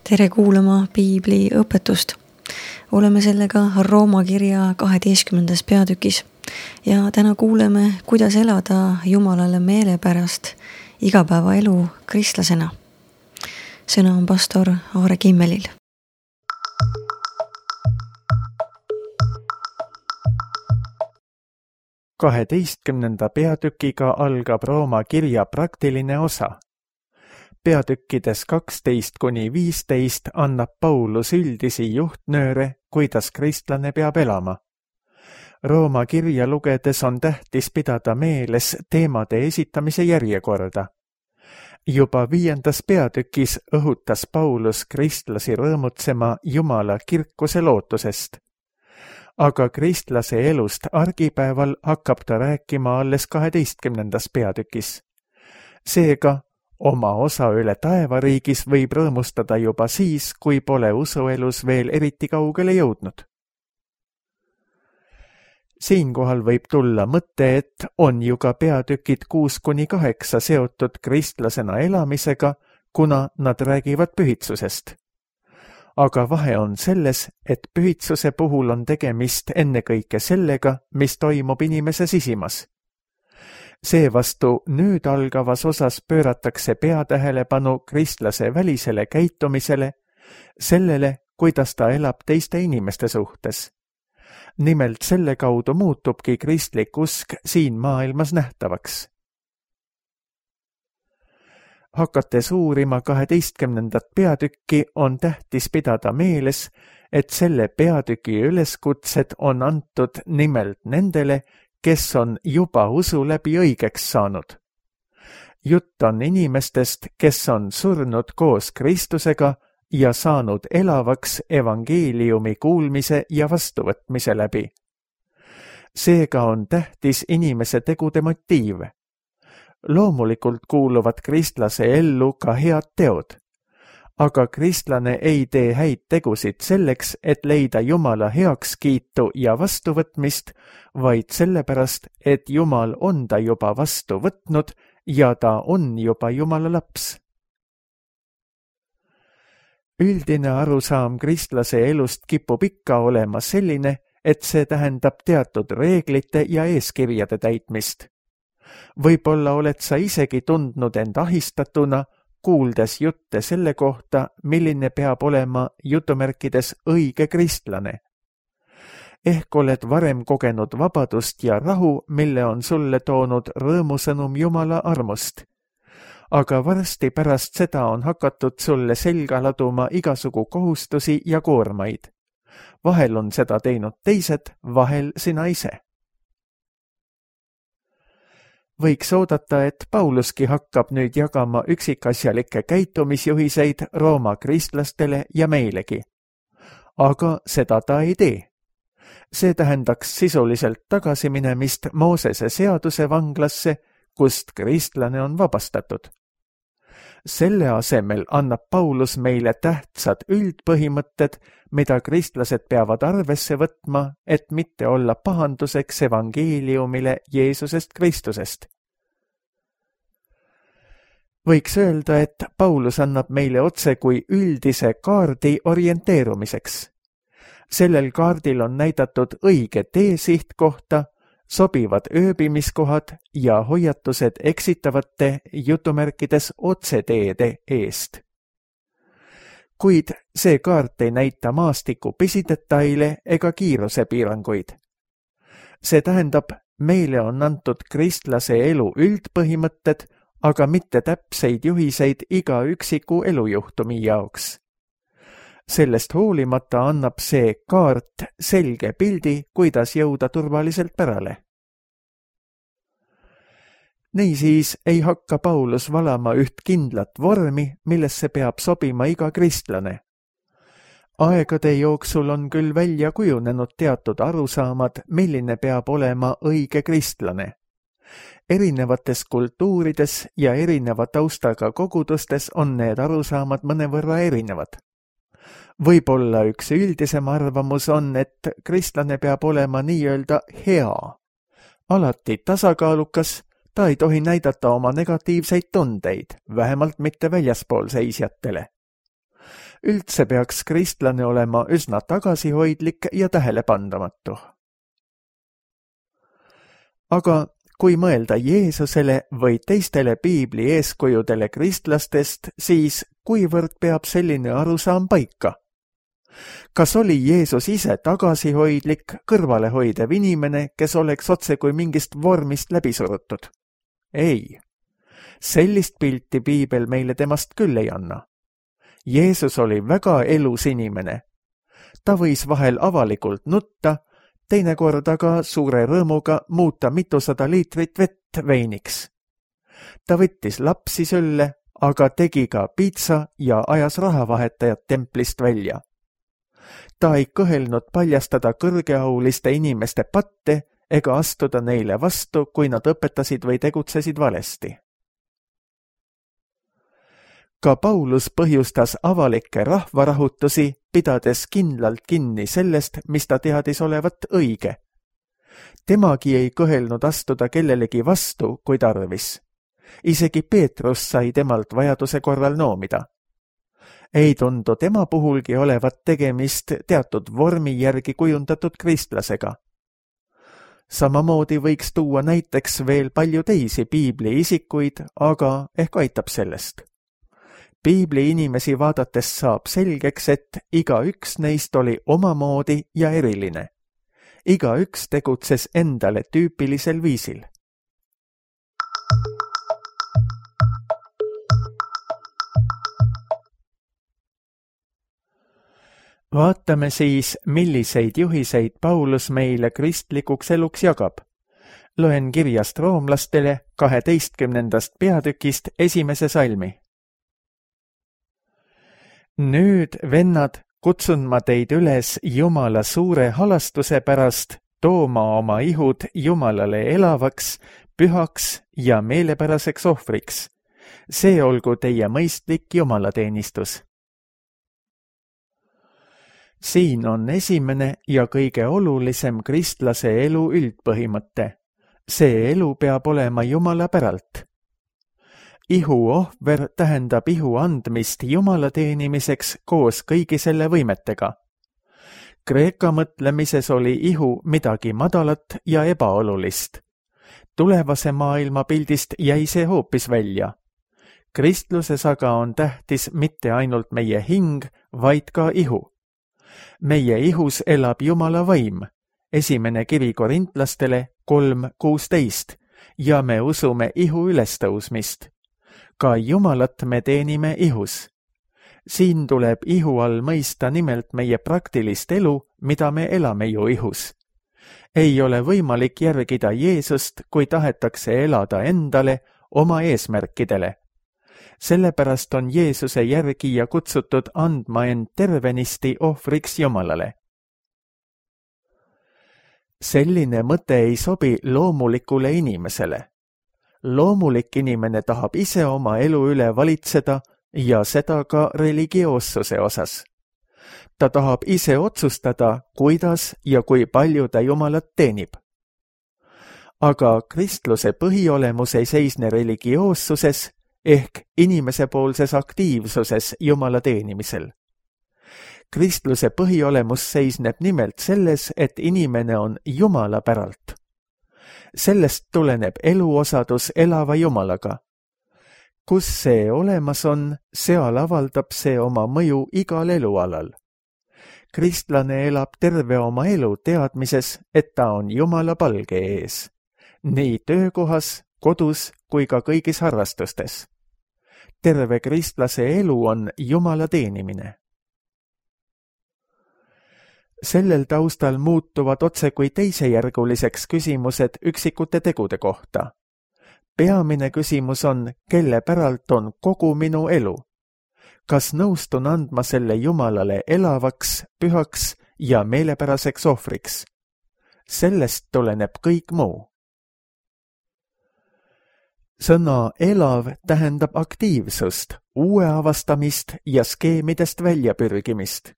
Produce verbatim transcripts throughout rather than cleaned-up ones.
Tere kuulama Piibli õpetust. Oleme sellega Rooma kirja kaheteistkümnendas peatükis ja täna kuuleme, kuidas elada Jumalale meelepärast igapäevaelu kristlasena. Sõna on pastor Aare Kimmelil. kaheteistkümnenda peatükiga algab Rooma kirja praktiline osa. Peatükkides kaksteist kuni viisteist annab Paulus üldisi juhtnööre, kuidas kristlane peab elama. Rooma kirja lugedes on tähtis pidada meeles teemade esitamise järjekorda. Juba viiendas peatükis õhutas Paulus kristlasi rõõmutsema Jumala kirkuse lootusest. Aga kristlase elust argipäeval hakkab ta rääkima alles kaheteistkümnendas peatükis. Seega, oma osa üle taevariigis võib rõõmustada juba siis, kui pole usuelus veel eriti kaugele jõudnud. Siinkohal võib tulla mõte, et on ju ka peatükid kuus kuni kaheksa seotud kristlasena elamisega, kuna nad räägivad pühitsusest. Aga vahe on selles, et pühitsuse puhul on tegemist ennekõike sellega, mis toimub inimese sisimas. Seevastu nüüd algavas osas pööratakse peatähelepanu kristlase välisele käitumisele, sellele, kuidas ta elab teiste inimeste suhtes. Nimelt selle kaudu muutubki kristlik usk siin maailmas nähtavaks. Hakates uurima kaheteistkümnendat peatükki on tähtis pidada meeles, et selle peatüki üleskutsed on antud nimelt nendele, kes on juba usu läbi õigeks saanud. Jutt on inimestest, kes on surnud koos Kristusega ja saanud elavaks evangeeliumi kuulmise ja vastuvõtmise läbi. Seega on tähtis inimese tegude motiiv. Loomulikult kuuluvad kristlase ellu ka head teod. Aga kristlane ei tee häid tegusid selleks, et leida Jumala heakskiitu ja vastuvõtmist, vaid sellepärast, et Jumal on ta juba vastu võtnud ja ta on juba Jumala laps. Üldine arusaam kristlase elust kipub ikka olema selline, et see tähendab teatud reeglite ja eeskirjade täitmist. Võib-olla oled sa isegi tundnud end ahistatuna, kuuldes jutte selle kohta, milline peab olema jutumärkides õige kristlane. Ehk oled varem kogenud vabadust ja rahu, mille on sulle toonud rõõmusõnum Jumala armust. Aga varsti pärast seda on hakatud sulle selga laduma igasugu kohustusi ja koormaid. Vahel on seda teinud teised, vahel sina ise. Võiks oodata, et Pauluski hakkab nüüd jagama üksikasjalikke käitumisjuhiseid Rooma kristlastele ja meilegi. Aga seda ta ei tee. See tähendaks sisuliselt tagasiminemist Moosese seaduse vanglasse, kust kristlane on vabastatud. Selle asemel annab Paulus meile tähtsad üldpõhimõtted, mida kristlased peavad arvesse võtma, et mitte olla pahanduseks evangeeliumile Jeesusest Kristusest. Võiks öelda, et Paulus annab meile otse kui üldise kaardi orienteerumiseks. Sellel kaardil on näidatud õige teesiht kohta, sobivad ööbimiskohad ja hoiatused eksitavate jutumärkides otseteede eest. Kuid see kaart ei näita maastiku pisidetaile ega kiirusepiiranguid. See tähendab, meile on antud kristlase elu üldpõhimõtted, aga mitte täpseid juhiseid iga üksiku elujuhtumi jaoks. Sellest hoolimata annab see kaart selge pildi, kuidas jõuda turvaliselt pärale. Niisiis ei hakka Paulus valama üht kindlat vormi, millesse peab sobima iga kristlane. Aegade jooksul on küll välja kujunenud teatud arusaamad, milline peab olema õige kristlane. Erinevates kultuurides ja erineva taustaga kogudustes on need arusaamad mõnevõrra erinevad. Võib-olla üks üldisem arvamus on, et kristlane peab olema nii-öelda hea. Alati tasakaalukas, ta ei tohi näidata oma negatiivseid tundeid, vähemalt mitte väljaspool seisjatele. Üldse peaks kristlane olema üsna tagasihoidlik ja tähelepandamatu. Aga kui mõelda Jeesusele või teistele piibli eeskujudele kristlastest, siis kuivõrd peab selline arusaam paika? Kas oli Jeesus ise tagasihoidlik, kõrvalehoidev inimene, kes oleks otse kui mingist vormist läbi surutud? Ei. Sellist pilti piibel meile temast küll ei anna. Jeesus oli väga elus inimene. Ta võis vahel avalikult nutta, teinekord aga suure rõõmuga muuta mitusada liitrit vett veiniks. Ta võttis lapsi sülle, aga tegi ka piitsa ja ajas rahavahetajad templist välja. Ta ei kõhelnud paljastada kõrgeauliste inimeste patte ega astuda neile vastu, kui nad õpetasid või tegutsesid valesti. Ka Paulus põhjustas avalikke rahvarahutusi, pidades kindlalt kinni sellest, mis ta teadis olevat õige. Temagi ei kõhelnud astuda kellelegi vastu, kui tarvis. Isegi Peetrus sai temalt vajaduse korral noomida. Ei tundu tema puhulgi olevat tegemist teatud vormi järgi kujundatud kristlasega. Samamoodi võiks tuua näiteks veel palju teisi piibli isikuid, aga ehk aitab sellest. Piibli inimesi vaadates saab selgeks, et iga üks neist oli omamoodi ja eriline. Iga üks tegutses endale tüüpilisel viisil. Vaatame siis, milliseid juhiseid Paulus meile kristlikuks eluks jagab. Loen kirjast roomlastele kaheteistkümnendast peatükist esimese salmi. Nüüd, vennad, kutsun ma teid üles Jumala suure halastuse pärast tooma oma ihud Jumalale elavaks, pühaks ja meelepäraseks ohvriks. See olgu teie mõistlik jumalateenistus. Siin on esimene ja kõige olulisem kristlase elu üldpõhimõte. See elu peab olema Jumala päralt. Ihu ohver tähendab ihu andmist Jumala teenimiseks koos kõigi selle võimetega. Kreeka mõtlemises oli ihu midagi madalat ja ebaolulist. Tulevase maailma pildist jäi see hoopis välja. Kristluses aga on tähtis mitte ainult meie hing, vaid ka ihu. Meie ihus elab Jumala vaim, esimene kiri korintlastele kolm kuusteist, ja me usume ihu ülestõusmist. Ka Jumalat me teenime ihus. Siin tuleb ihu all mõista nimelt meie praktilist elu, mida me elame ju ihus. Ei ole võimalik järgida Jeesust, kui tahetakse elada endale, oma eesmärkidele. Sellepärast on Jeesuse järgija kutsutud andma end tervenisti ohvriks Jumalale. Selline mõte ei sobi loomulikule inimesele. Loomulik inimene tahab ise oma elu üle valitseda ja seda ka religioossuse osas. Ta tahab ise otsustada, kuidas ja kui palju ta Jumalat teenib. Aga kristluse põhiolemus ei seisne religioossuses ehk inimesepoolses aktiivsuses Jumala teenimisel. Kristluse põhiolemus seisneb nimelt selles, et inimene on Jumala päralt. Sellest tuleneb eluosadus elava Jumalaga. Kus see olemas on, seal avaldab see oma mõju igal elualal. Kristlane elab terve oma elu teadmises, et ta on Jumala palge ees. Nii töökohas, kodus kui ka kõigis harrastustes. Terve kristlase elu on Jumala teenimine. Sellel taustal muutuvad otse kui teisejärguliseks küsimused üksikute tegude kohta. Peamine küsimus on, kelle päralt on kogu minu elu. Kas nõustun andma selle Jumalale elavaks, pühaks ja meelepäraseks ohvriks? Sellest tuleneb kõik muu. Sõna elav tähendab aktiivsust, uue avastamist ja skeemidest väljapürgimist.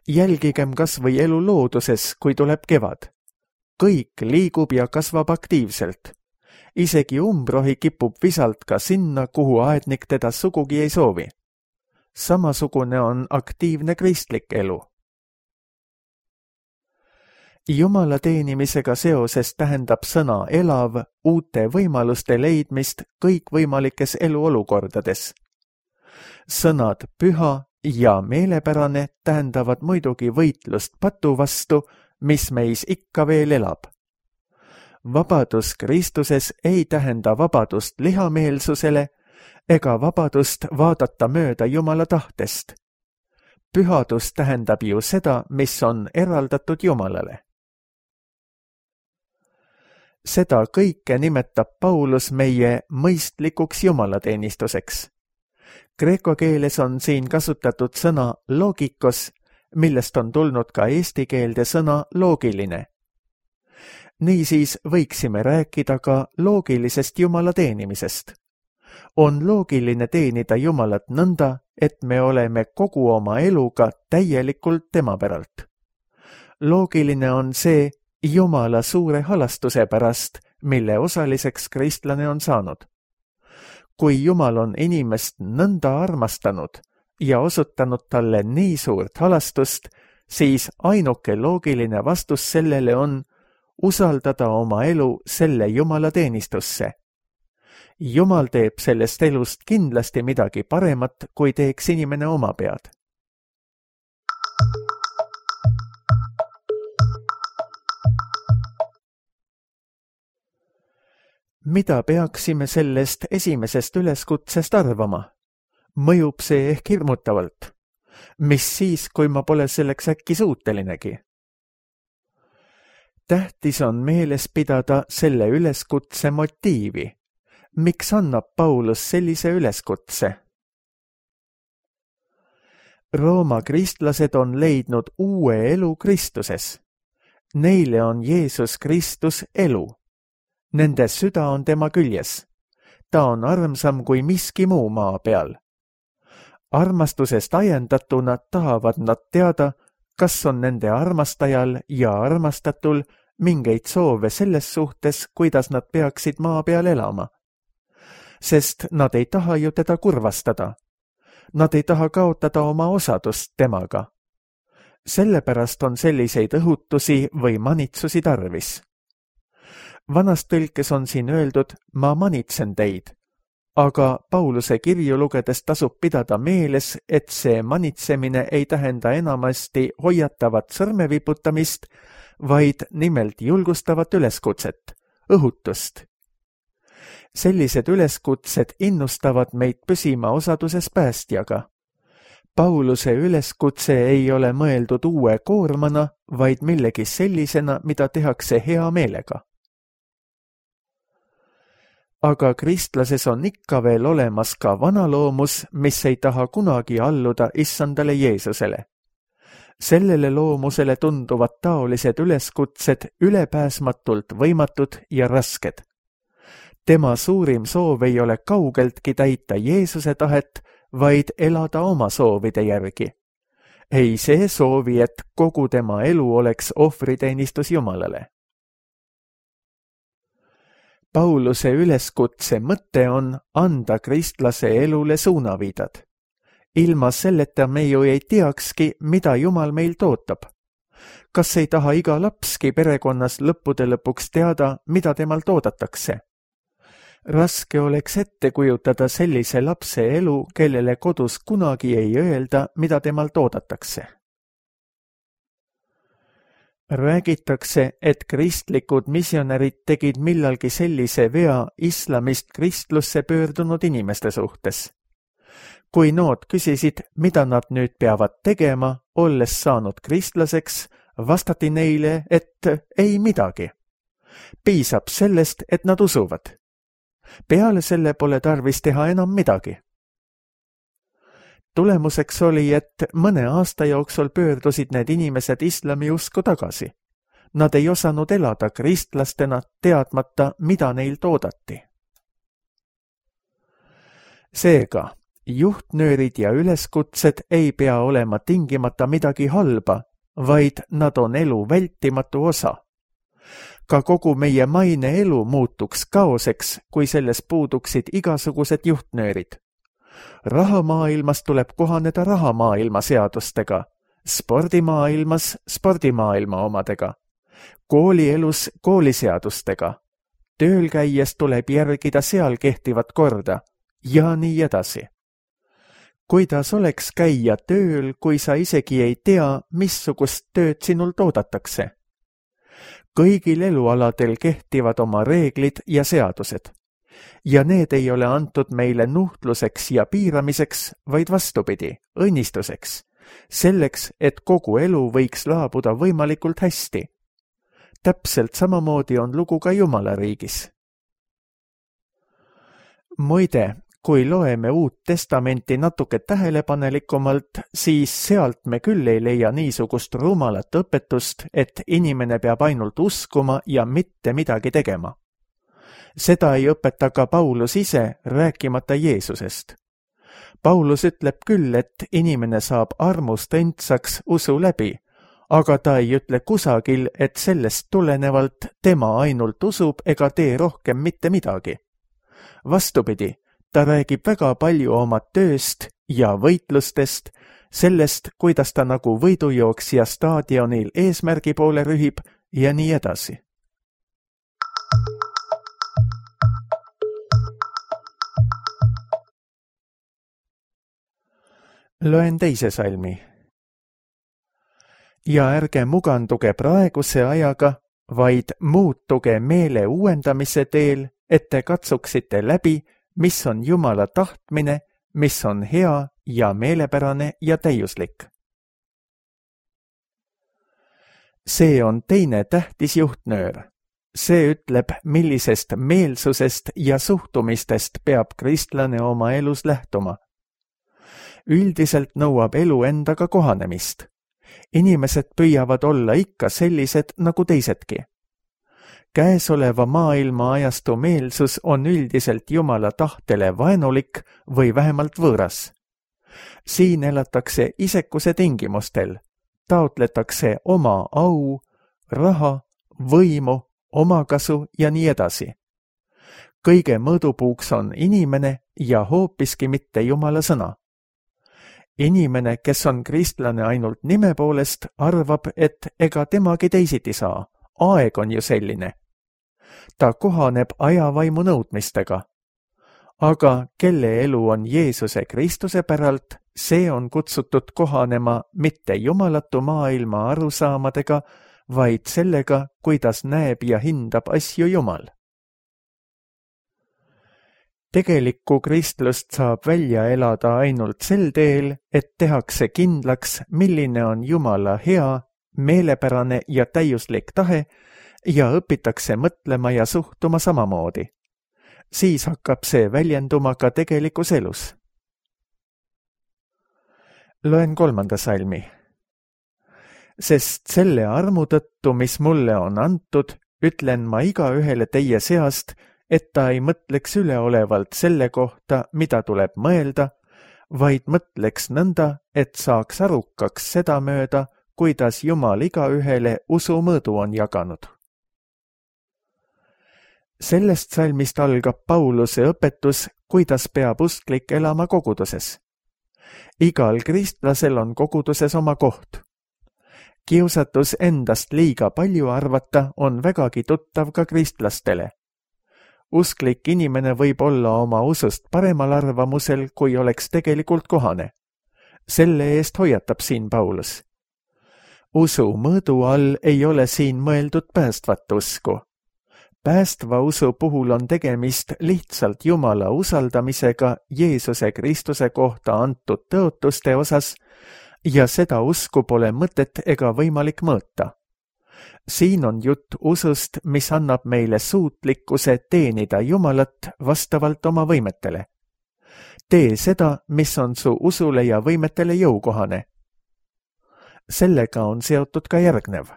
Jälgigem kas või elu looduses, kui tuleb kevad. Kõik liigub ja kasvab aktiivselt. Isegi umbrohi kipub visalt ka sinna, kuhu aednik teda sugugi ei soovi. samasugune on aktiivne kristlik elu. Jumala teenimisega seoses tähendab sõna elav uute võimaluste leidmist kõikvõimalikes eluolukordades. Sõnad püha ja meelepärane tähendavad muidugi võitlust patu vastu, mis meis ikka veel elab. Vabadus Kristuses ei tähenda vabadust lihameelsusele ega vabadust vaadata mööda Jumala tahtest. Pühadus tähendab ju seda, mis on eraldatud Jumalale. Seda kõike nimetab Paulus meie mõistlikuks jumalateenistuseks. Kreeka keeles on siin kasutatud sõna logikos, millest on tulnud ka eesti keelde sõna loogiline. Niisiis võiksime rääkida ka loogilisest Jumala teenimisest. On loogiline teenida Jumalat nõnda, et me oleme kogu oma eluga täielikult tema päralt. Loogiline on see Jumala suure halastuse pärast, mille osaliseks kristlane on saanud. Kui Jumal on inimest nõnda armastanud ja osutanud talle nii suurt halastust, siis ainuke loogiline vastus sellele on usaldada oma elu selle Jumala teenistusse. Jumal teeb sellest elust kindlasti midagi paremat, kui teeks inimene oma pead. Mida peaksime sellest esimesest üleskutsest arvama? Mõjub see ehk hirmutavalt. Mis siis, kui ma pole selleks äkki suutelinegi? Tähtis on meeles pidada selle üleskutse motiivi. Miks annab Paulus sellise üleskutse? Rooma kristlased on leidnud uue elu Kristuses. Neile on Jeesus Kristus elu. Nende süda on tema küljes. Ta on armsam kui miski muu maa peal. Armastusest ajendatuna tahavad nad teada, kas on nende armastajal ja armastatul mingeid soove selles suhtes, kuidas nad peaksid maa peal elama. Sest nad ei taha ju teda kurvastada. Nad ei taha kaotada oma osadust temaga. Sellepärast on selliseid õhutusi või manitsusi tarvis. Vanas tõlkes on siin öeldud, ma manitsen teid, aga Pauluse kirju lugedes tasub pidada meeles, et see manitsemine ei tähenda enamasti hoiatavat sõrmeviputamist, vaid nimelt julgustavat üleskutset, õhutust. Sellised üleskutsed innustavad meid püsima osaduses päästjaga. Pauluse üleskutse ei ole mõeldud uue koormana, vaid millegi sellisena, mida tehakse hea meelega. Aga kristlases on ikka veel olemas ka vanaloomus, mis ei taha kunagi alluda issandale Jeesusele. Sellele loomusele tunduvad taolised üleskutsed ülepääsmatult võimatud ja rasked. Tema suurim soov ei ole kaugeltki täita Jeesuse tahet, vaid elada oma soovide järgi. Ei see soovi, et kogu tema elu oleks ohvriteenistus Jumalale. Pauluse üleskutse mõte on anda kristlase elule suunaviidad. Ilma selleta me ju ei teakski, mida Jumal meilt ootab. Kas ei taha iga lapski perekonnas lõppude lõpuks teada, mida temalt oodatakse? Raske oleks ette kujutada sellise lapse elu, kellele kodus kunagi ei öelda, mida temalt oodatakse. Räägitakse, et kristlikud missionärid tegid millalgi sellise vea islamist kristlusse pöördunud inimeste suhtes. Kui nood küsisid, mida nad nüüd peavad tegema, olles saanud kristlaseks, vastati neile, et ei midagi. Piisab sellest, et nad usuvad. Peale selle pole tarvis teha enam midagi. Tulemuseks oli, et mõne aasta jooksul pöördusid need inimesed islami usku tagasi. Nad ei osanud elada kristlastena, teadmata, mida neilt oodati. Seega, juhtnöörid ja üleskutsed ei pea olema tingimata midagi halba, vaid nad on elu vältimatu osa. Ka kogu meie maine elu muutuks kaoseks, kui selles puuduksid igasugused juhtnöörid. Rahamaailmas tuleb kohaneda rahamaailma seadustega, spordimaailmas spordimaailma omadega, koolielus kooliseadustega, tööl käies tuleb järgida seal kehtivat korda ja nii edasi. Kuidas oleks käia tööl, kui sa isegi ei tea, missugust tööd sinult oodatakse? Kõigil elualadel kehtivad oma reeglid ja seadused. Ja need ei ole antud meile nuhtluseks ja piiramiseks, vaid vastupidi, õnnistuseks. Selleks, et kogu elu võiks laabuda võimalikult hästi. Täpselt samamoodi on lugu ka Jumala riigis. Muide, kui loeme Uut Testamenti natuke tähelepanelikumalt, siis sealt me küll ei leia niisugust rumalat õpetust, et inimene peab ainult uskuma ja mitte midagi tegema. Seda ei õpeta ka Paulus ise, rääkimata Jeesusest. Paulus ütleb küll, et inimene saab armust endsaks usu läbi, aga ta ei ütle kusagil, et sellest tulenevalt tema ainult usub ega tee rohkem mitte midagi. Vastupidi, ta räägib väga palju oma tööst ja võitlustest, sellest, kuidas ta nagu võidujooksja staadionil eesmärgi poole rühib ja nii edasi. Loen teise salmi. Ja ärge muganduge praeguse ajaga, vaid muutuge meele uuendamise teel, et te katsuksite läbi, mis on Jumala tahtmine, mis on hea ja meelepärane ja täiuslik. See on teine tähtis juhtnöör. See ütleb, millisest meelsusest ja suhtumistest peab kristlane oma elus lähtuma. Üldiselt nõuab elu endaga kohanemist. Inimesed püüavad olla ikka sellised nagu teisedki. Käesoleva maailma ajastu meelsus on üldiselt Jumala tahtele vaenulik või vähemalt võõras. Siin elatakse isekuse tingimustel, taotletakse oma au, raha, võimu, omakasu ja nii edasi. Kõige mõõdupuuks on inimene ja hoopiski mitte Jumala sõna. Inimene, kes on kristlane ainult nime poolest, arvab, et ega temagi teisiti saa. Aeg on ju selline. Ta kohaneb ajavaimu nõudmistega. Aga kelle elu on Jeesuse Kristuse päralt, see on kutsutud kohanema mitte jumalatu maailma arusaamadega, vaid sellega, kuidas näeb ja hindab asju Jumal. Tegelikku kristlust saab välja elada ainult sel teel, et tehakse kindlaks, milline on Jumala hea, meelepärane ja täiuslik tahe ja õpitakse mõtlema ja suhtuma samamoodi. Siis hakkab see väljenduma ka tegelikus elus. Loen kolmanda salmi. Sest selle armu tõttu, mis mulle on antud, ütlen ma iga ühele teie seast, et ta ei mõtleks üleolevalt selle kohta, mida tuleb mõelda, vaid mõtleks nõnda, et saaks arukaks seda mööda, kuidas Jumal iga ühele usu mõõdu on jaganud. Sellest salmist algab Pauluse õpetus, kuidas peab usklik elama koguduses. Igal kristlasel on koguduses oma koht. Kiusatus endast liiga palju arvata on vägagi tuttav ka kristlastele. Usklik inimene võib olla oma usust paremal arvamusel, kui oleks tegelikult kohane. Selle eest hoiatab siin Paulus. Usu mõõdu all ei ole siin mõeldud päästvat usku. Päästva usu puhul on tegemist lihtsalt Jumala usaldamisega Jeesuse Kristuse kohta antud tõotuste osas ja seda usku pole mõtet ega võimalik mõõta. Siin on jutt usust, mis annab meile suutlikkuse teenida Jumalat vastavalt oma võimetele. Tee seda, mis on su usule ja võimetele jõukohane. Sellega on seotud ka järgnev.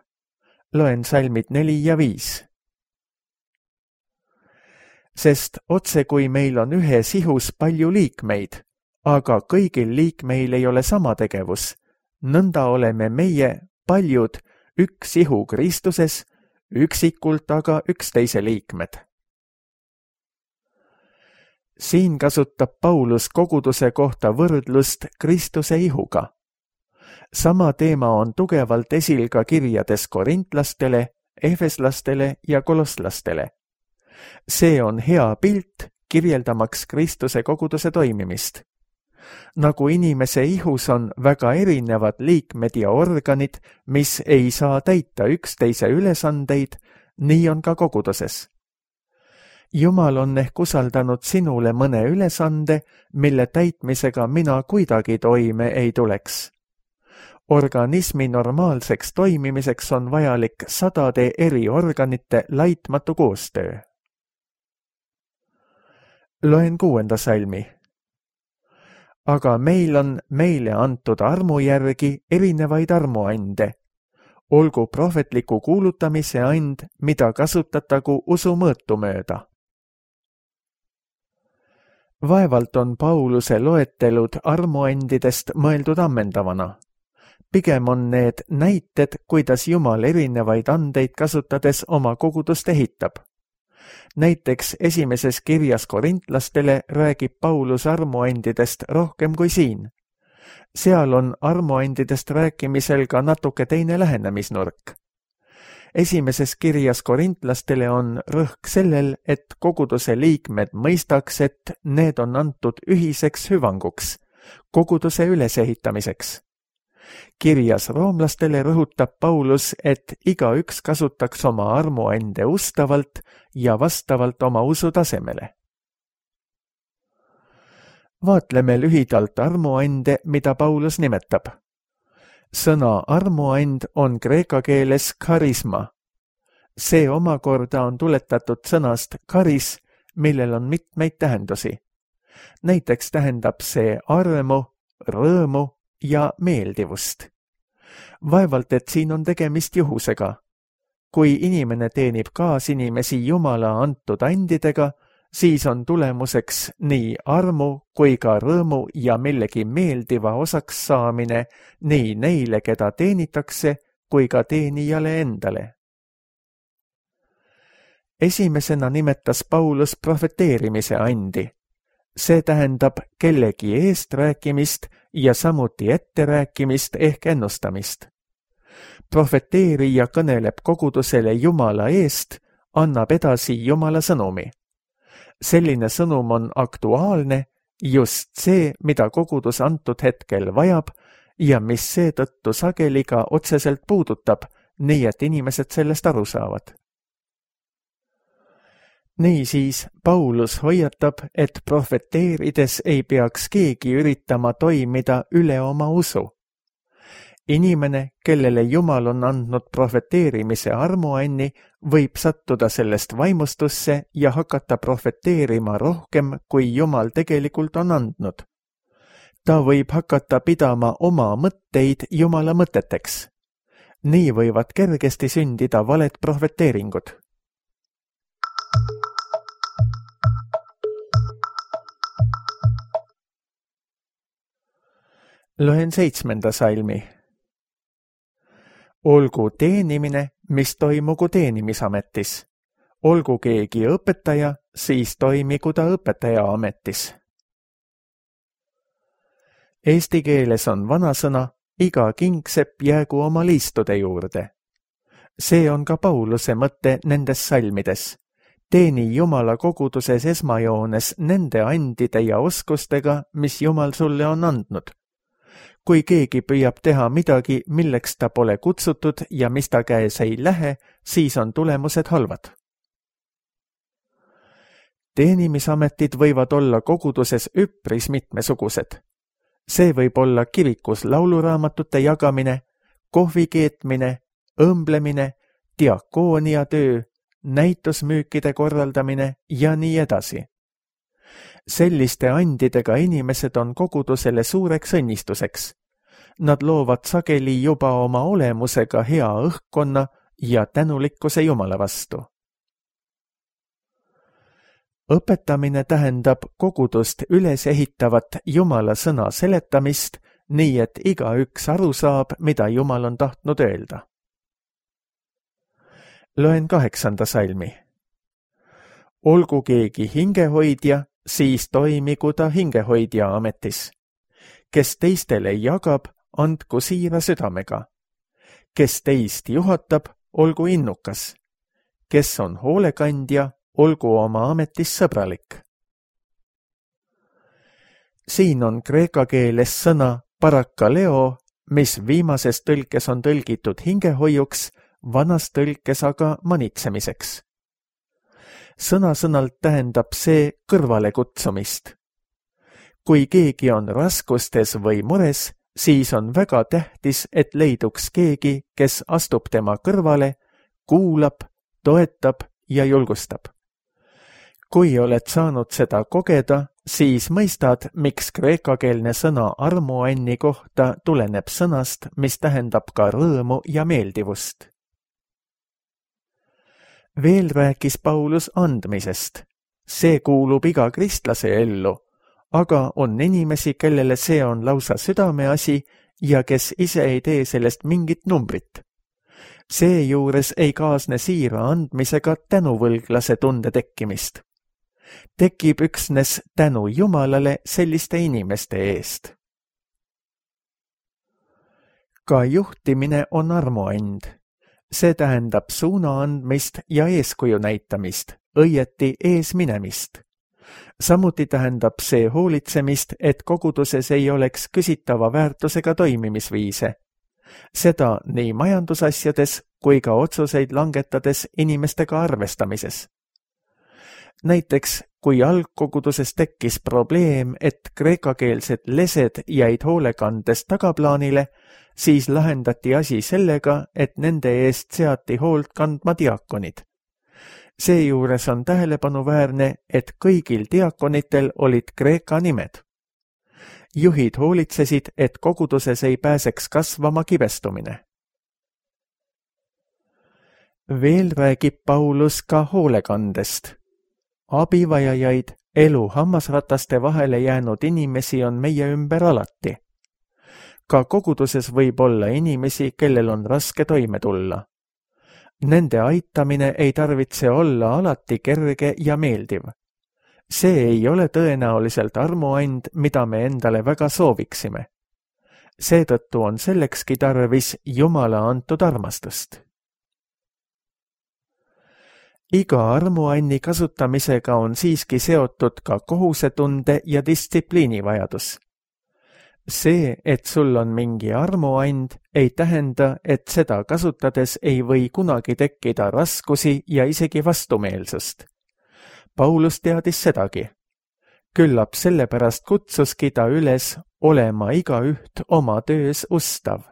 Loen salmid neli ja viis. Sest otse kui meil on ühes ihus palju liikmeid, aga kõigil liikmeil ei ole sama tegevus, nõnda oleme meie, paljud, üks ihu Kristuses, üksikult aga üksteise liikmed. siin kasutab Paulus koguduse kohta võrdlust Kristuse ihuga. Sama teema on tugevalt esil ka kirjades korintlastele, efeslastele ja kolosslastele. See on hea pilt kirjeldamaks Kristuse koguduse toimimist. Nagu inimese ihus on väga erinevad liikmed ja organid, mis ei saa täita üksteise ülesandeid, nii on ka koguduses. Jumal on ehk usaldanud sinule mõne ülesande, mille täitmisega mina kuidagi toime ei tuleks. Organismi normaalseks toimimiseks on vajalik sadade eri organite laitmatu koostöö. Loen kuuenda salmi. Aga meil on meile antud armu järgi erinevaid armuande. Olgu prohvetliku kuulutamise and, mida kasutatagu usu mõõtu mööda. Vaevalt on Pauluse loetelud armuandidest mõeldud ammendavana. Pigem on need näited, kuidas Jumal erinevaid andeid kasutades oma kogudust ehitab. Näiteks esimeses kirjas korintlastele räägib Paulus armuandidest rohkem kui siin. Seal on armuandidest rääkimisel ka natuke teine lähenemisnurk. Esimeses kirjas korintlastele on rõhk sellel, et koguduse liikmed mõistaks, et need on antud ühiseks hüvanguks, koguduse ülesehitamiseks. Kirjas roomlastele rõhutab Paulus, et igaüks kasutaks oma armuande ustavalt ja vastavalt oma usu tasemele. Vaatleme lühidalt armuande, mida Paulus nimetab. Sõna armuand on kreeka keeles karisma. See omakorda on tuletatud sõnast karis, millel on mitmeid tähendusi. Näiteks tähendab see armu, rõõmu ja meeldivust. Vaevalt, et siin on tegemist juhusega. Kui inimene teenib kaasinimesi Jumala antud andidega, siis on tulemuseks nii armu kui ka rõõmu ja millegi meeldiva osaks saamine nii neile, keda teenitakse, kui ka teenijale endale. Esimesena nimetas Paulus profeteerimise andi. See tähendab kellegi eest rääkimist ja samuti etterääkimist ehk ennustamist. Profeteerija kõneleb kogudusele Jumala eest, annab edasi Jumala sõnumi. Selline sõnum on aktuaalne, just see, mida kogudus antud hetkel vajab ja mis seetõttu sageli ka otseselt puudutab, nii et inimesed sellest aru saavad. Niisiis, Paulus hoiatab, et profeteerides ei peaks keegi üritama toimida üle oma usu. Inimene, kellele Jumal on andnud profeteerimise armuanni, võib sattuda sellest vaimustusse ja hakata profeteerima rohkem, kui Jumal tegelikult on andnud. Ta võib hakata pidama oma mõtteid Jumala mõteteks. Nii võivad kergesti sündida valed profeteeringud. Loen seitsmenda salmi. Olgu teenimine, mis toimugu teenimisametis. Olgu keegi õpetaja, siis toimigu ta õpetaja ametis. Eesti keeles on vanasõna, iga kingsepp jäägu oma liistude juurde. See on ka Pauluse mõte nendes salmides. Teeni Jumala koguduses esmajoones nende andide ja oskustega, mis Jumal sulle on andnud. Kui keegi püüab teha midagi, milleks ta pole kutsutud ja mis ta käes ei lähe, siis on tulemused halvad. Teenimisametid võivad olla koguduses üpris mitmesugused. See võib olla kirikus lauluraamatute jagamine, kohvi keetmine, õmblemine, diakoonia töö, näitusmüükide korraldamine ja nii edasi. Selliste andidega inimesed on kogudusele suureks õnnistuseks. Nad loovad sageli juba oma olemusega hea õhkkonna ja tänulikkuse Jumala vastu. Õpetamine tähendab kogudust üles ehitavat Jumala sõna seletamist, nii et igaüks aru saab, mida Jumal on tahtnud öelda. Loen kaheksanda salmi. Olgu keegi hingehoidja, siis toimigu ta hingehoidja ametis. Kes teistele jagab, andku siira südamega. Kes teist juhatab, olgu innukas. Kes on hoolekandja, olgu oma ametis sõbralik. Siin on kreeka keeles sõna parakaleo, mis viimases tõlkes on tõlgitud hingehoiuks, vanas tõlkes aga manitsemiseks. Sõna-sõnalt tähendab see kõrvale kutsumist. Kui keegi on raskustes või mures, siis on väga tähtis, et leiduks keegi, kes astub tema kõrvale, kuulab, toetab ja julgustab. Kui oled saanud seda kogeda, siis mõistad, miks kreekakeelne sõna armuanni kohta tuleneb sõnast, mis tähendab ka rõõmu ja meeldivust. Veel rääkis Paulus andmisest. See kuulub iga kristlase ellu, aga on inimesi, kellele see on lausa südameasi ja kes ise ei tee sellest mingit numbrit. Seejuures ei kaasne siira andmisega tänuvõlglase tunde tekkimist. Tekib üksnes tänu Jumalale selliste inimeste eest. Ka juhtimine on armuand. See tähendab suuna andmist ja eeskuju näitamist, õieti eesminemist. Samuti tähendab see hoolitsemist, et koguduses ei oleks küsitava väärtusega toimimisviise. Seda nii majandusasjades kui ka otsuseid langetades inimestega arvestamises. Näiteks, kui algkoguduses tekkis probleem, et kreekakeelsed lesed jäid hoolekandest tagaplaanile, siis lahendati asi sellega, et nende eest seati hoolt kandma diakonid. Seejuures on tähelepanuväärne, et kõigil diakonitel olid kreeka nimed. Juhid hoolitsesid, et koguduses ei pääseks kasvama kibestumine. Veel räägib Paulus ka hoolekandest. Abivajajaid, elu hammasrataste vahele jäänud inimesi on meie ümber alati. Ka koguduses võib olla inimesi, kellel on raske toime tulla. Nende aitamine ei tarvitse olla alati kerge ja meeldiv. See ei ole tõenäoliselt armuand, mida me endale väga sooviksime. Seetõttu on sellekski tarvis Jumala antud armastust. Iga armuanni kasutamisega on siiski seotud ka kohusetunde ja distsipliini vajadus. See, et sul on mingi armuand, ei tähenda, et seda kasutades ei või kunagi tekkida raskusi ja isegi vastumeelsust. Paulus teadis sedagi. Küllap sellepärast kutsuski ta üles olema igaüht oma töös ustav.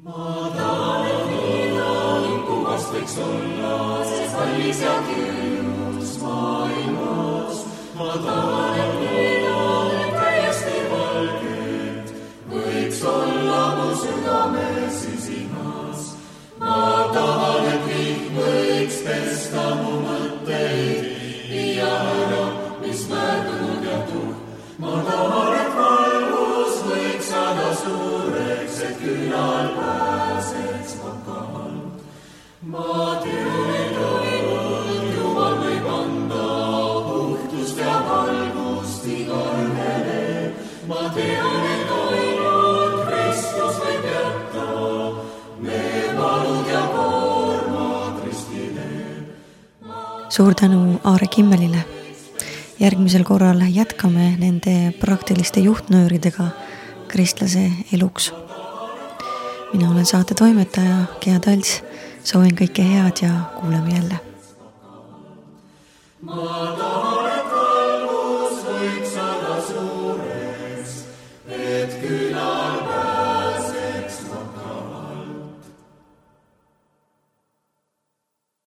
Ma tahan niinaan, kuvast võiks olla, sest kallis ja küünus maailmas. Ma tahan niinaan, täiesti valget, võiks olla mu südames sisimas. Ma tahan, et kõik võiks pesta mu mõtteid, viia ära, mis möödunud ja tuhk. Ma tahan, et valgus võiks saada suureks, et külal pääseks vakalt. Ma tean, et ainult Jumal võib anda puhtust ja valgust igaühele. Ma tean, et ainult Kristus võib jätta me valud ja koormad ristile. Suur tänu Aare Kimmelile. Järgmisel korral jätkame nende praktiliste juhtnööridega kristlase eluks. Mina olen saate toimetaja Gea Talts. Soovin kõike head ja kuuleme jälle.